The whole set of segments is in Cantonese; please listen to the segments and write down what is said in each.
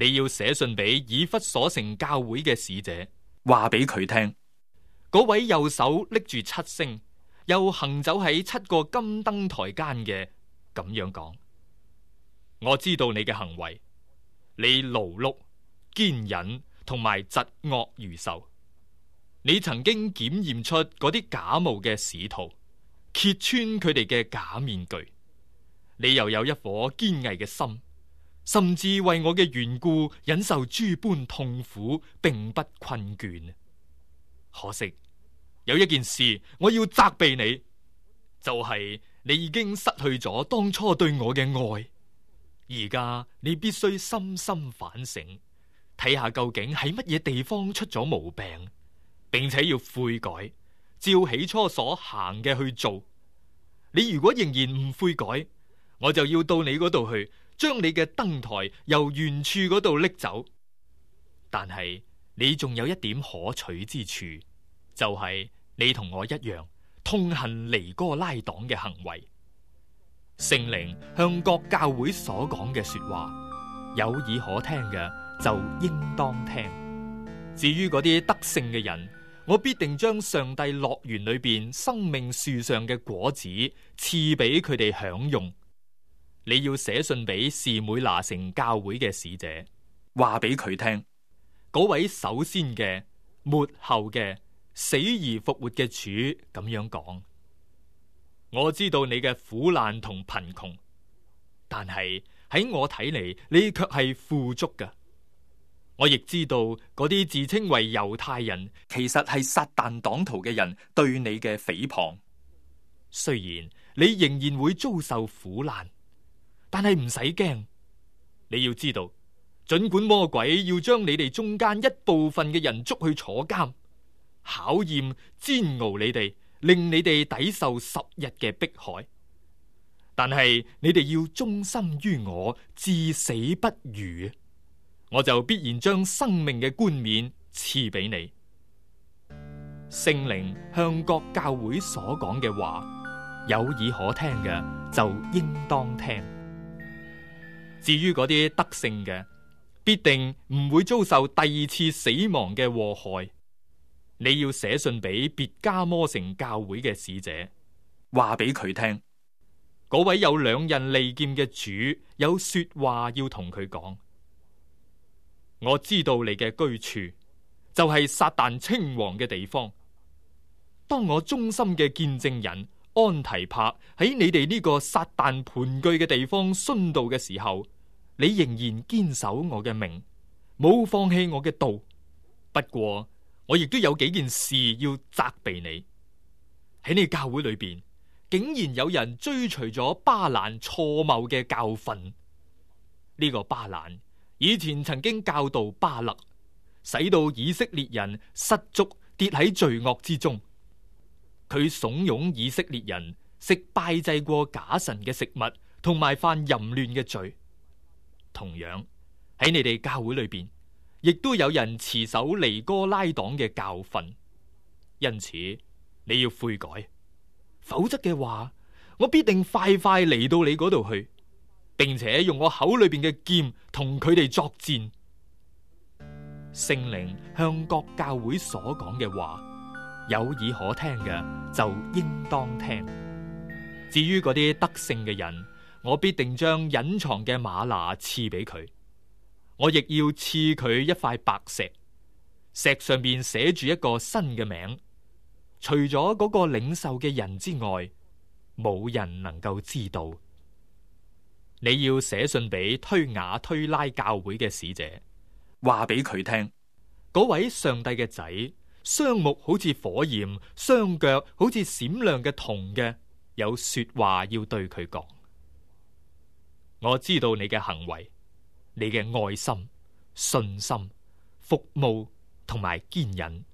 你要寫信俾以弗所城教會嘅使者，話俾佢聽，嗰位右手拎住七星，又行走喺7個金燈台間嘅，咁樣講：我知道你嘅行為，你勞碌、堅忍同埋疾惡如仇。你曾經檢驗出嗰啲假冒嘅使徒，揭穿佢哋嘅假面具。你又有一顆堅毅嘅心，甚至為我嘅緣故忍受諸般痛苦，並不困倦。可惜有一件事我要責備你，就係你已經失去咗當初對我嘅愛。而家你必須深深反省，睇下究竟喺乜嘢地方出咗毛病，並且要悔改，照起初所行嘅去做。你如果仍然唔悔改，我就要到你嗰度去，將你嘅燈台由原處嗰度拎走。但係你仲有一點可取之處，就係你同我一樣痛恨尼哥拉黨嘅行為。聖靈向各教會所講嘅說話，有耳可聽嘅就應當聽。至於嗰啲得勝嘅人，我必定將上帝樂園裏邊生命樹上嘅果子賜俾佢哋享用。你要寫信俾士每拿城教會嘅使者，話俾佢聽，嗰位首先嘅、末後嘅、死而復活嘅主咁樣講：我知道你嘅苦難同貧窮，但係喺我睇嚟，你卻係富足㗎。我亦知道嗰啲自稱為猶太人，其實係撒旦黨徒嘅人對你嘅誹謗。雖然你仍然會遭受苦難，但係唔使驚。你要知道，盡管魔鬼要將你哋中間一部分嘅人捉去坐監，考驗煎熬你哋，令你哋抵受10日嘅迫害，但係你哋要忠心於我，至死不渝，我就必然將生命嘅冠冕賜俾你。聖靈向各教會所講嘅話，有耳可聽嘅就應當聽。至於嗰啲得勝嘅，必定唔會遭受第2次死亡嘅禍害。你要寫信俾別加摩城教會嘅使者，話俾佢聽，嗰位有2刃利劍嘅主有說話要同佢講。我知道你嘅居處就係撒旦稱王嘅地方。當我忠心嘅見證人安提帕喺你哋呢個撒旦盤踞嘅地方殉道嘅時候，你仍然堅守我嘅命，冇放棄我嘅道。不過我亦都有幾件事要責備你。喺你教會裏邊，竟然有人追隨咗巴蘭錯謬嘅教訓。呢個巴蘭以前曾經教導巴勒，使到以色列人失足跌喺罪惡之中。佢慫恿以色列人食拜祭過假神嘅食物，同埋犯淫亂嘅罪。同樣喺你哋教會裏邊，亦都有人持守尼哥拉黨嘅教訓。因此你要悔改，否則嘅話，我必定快快嚟到你嗰度去，並且用我口裏邊嘅劍同佢哋作戰。聖靈向各教會所講嘅話，有耳可聽嘅就應當聽。至於嗰啲得勝嘅人，我必定將隱藏嘅嗎哪賜俾佢。我亦要賜佢一塊白石，石上面寫住一個新嘅名，除咗嗰個領受嘅人之外，冇人能夠知道。你要寫信俾推雅推拉教會嘅使者，話俾佢聽，嗰位上帝嘅仔，雙目好似火焰，雙腳好似閃亮嘅銅嘅，有說話要對佢講。我知道你嘅行為，你嘅愛心、信心、服務同埋堅忍，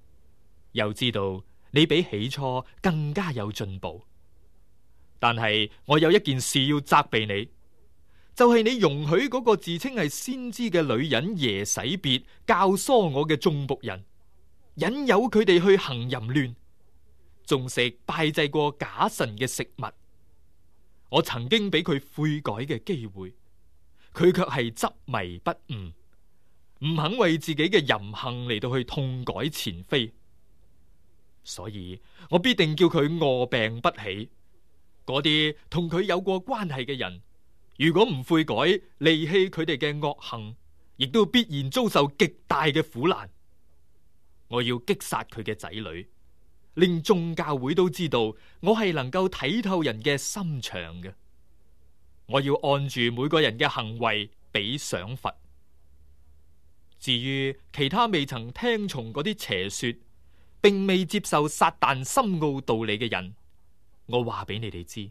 又知道你比起初更加有進步。但係我有一件事要責備你，就係你容許嗰個自稱係先知嘅女人耶洗別教唆我嘅眾僕人，引誘佢哋去行淫亂，仲食拜祭過假神嘅食物。我曾經俾佢悔改嘅機會，佢卻係執迷不悟，唔肯為自己嘅淫行嚟到去痛改前非，所以我必定叫佢臥病不起。嗰啲同佢有過關係嘅人，如果唔悔改，離棄佢哋嘅惡行，亦都必然遭受極大嘅苦難。我要擊殺佢嘅仔女，令眾教會都知道我係能夠睇透人嘅心腸嘅。我要按住每個人嘅行為俾賞罰。至於其他未曾聽從嗰啲邪說，並未接受撒旦深奧道理嘅人，我話俾你哋知，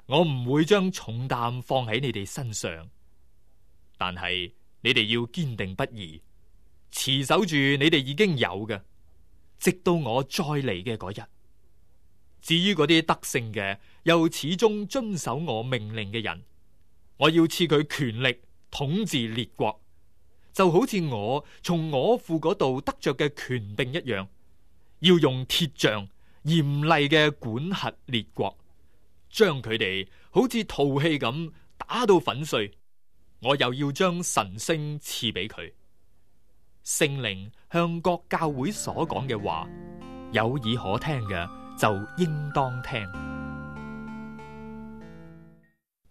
我唔會將重擔放喺你哋身上，但係你哋要堅定不移，持守住你哋已經有嘅，直到我再嚟嘅嗰日。至於嗰啲得勝嘅，又始終遵守我命令嘅人，我要賜佢權力統治列國，就好似我從我父嗰度得着嘅權柄一樣，要用鐵杖嚴厲嘅管轄列國，將佢哋好似陶器咁打到粉碎。我又要將晨星賜俾佢。聖靈向各教會所講嘅話，有耳可聽嘅就應當聽。